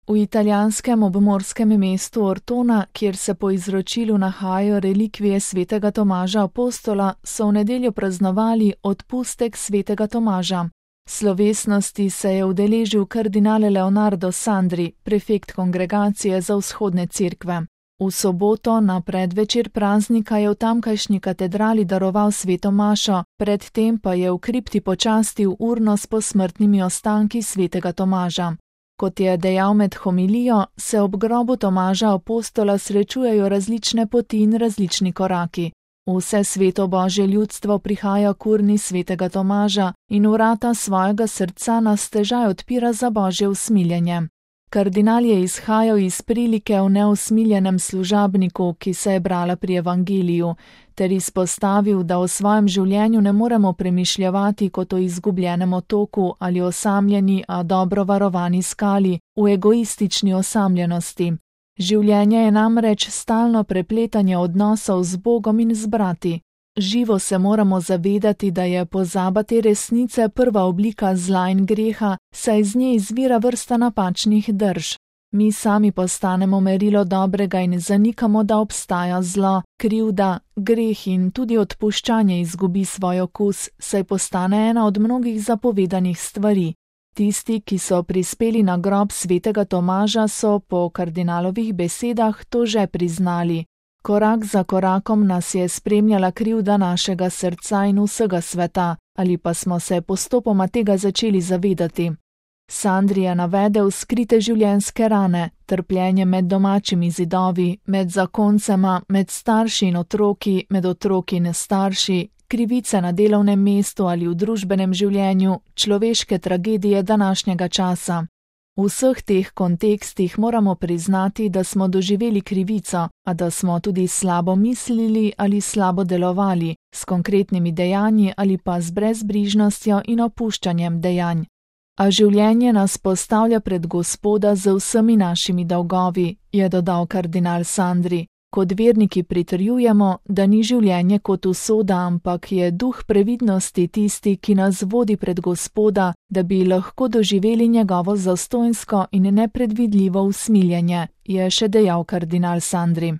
V italijanskem obmorskem mestu Ortona, kjer se po izročilu nahajajo relikvije svetega Tomaža Apostola, so v nedeljo praznovali odpustek svetega Tomaža. Slovesnosti se je udeležil kardinal Leonardo Sandri, prefekt kongregacije za vzhodne cerkve. V soboto na predvečer praznika je v tamkajšnji katedrali daroval sveto mašo, predtem pa je v kripti počastil urno s posmrtnimi ostanki svetega Tomaža. Kot je dejal med homilijo, se ob grobu Tomaža Apostola srečujejo različne poti in različni koraki. Vse sveto Božje ljudstvo prihaja k urni svetega Tomaža in vrata svojega srca nas težaj odpira za Božje usmiljenje. Kardinal je izhajal iz prilike v neusmiljenem služabniku, ki se je brala pri evangeliju, ter izpostavil, da o svojem življenju ne moremo premišljevati kot o izgubljenem otoku ali osamljeni, a dobro varovani skali, v egoistični osamljenosti. Življenje je namreč stalno prepletanje odnosov z Bogom in z brati. Živo se moramo zavedati, da je pozaba te resnice prva oblika zla in greha, saj iz nje izvira vrsta napačnih drž. Mi sami postanemo merilo dobrega in zanikamo, da obstaja zlo, krivda, greh in tudi odpuščanje izgubi svoj okus, saj postane ena od mnogih zapovedanih stvari. Tisti, ki so prispeli na grob svetega Tomaža, so po kardinalovih besedah to že priznali. Korak za korakom nas je spremljala krivda našega srca in vsega sveta, ali pa smo se postopoma tega začeli zavedati. Sandri je navedel skrite življenjske rane, trpljenje med domačimi zidovi, med zakoncema, med starši in otroki, med otroki in starši, krivice na delovnem mestu ali v družbenem življenju, človeške tragedije današnjega časa. V vseh teh kontekstih moramo priznati, da smo doživeli krivico, a da smo tudi slabo mislili ali slabo delovali, s konkretnimi dejanji ali pa z brezbrižnostjo in opuščanjem dejanj. A življenje nas postavlja pred Gospoda z vsemi našimi dolgovi, je dodal kardinal Sandri. Kot verniki pritrjujemo, da ni življenje kot usoda, ampak je duh previdnosti tisti, ki nas vodi pred Gospoda, da bi lahko doživeli njegovo zastonjsko in nepredvidljivo usmiljenje, je še dejal kardinal Sandri.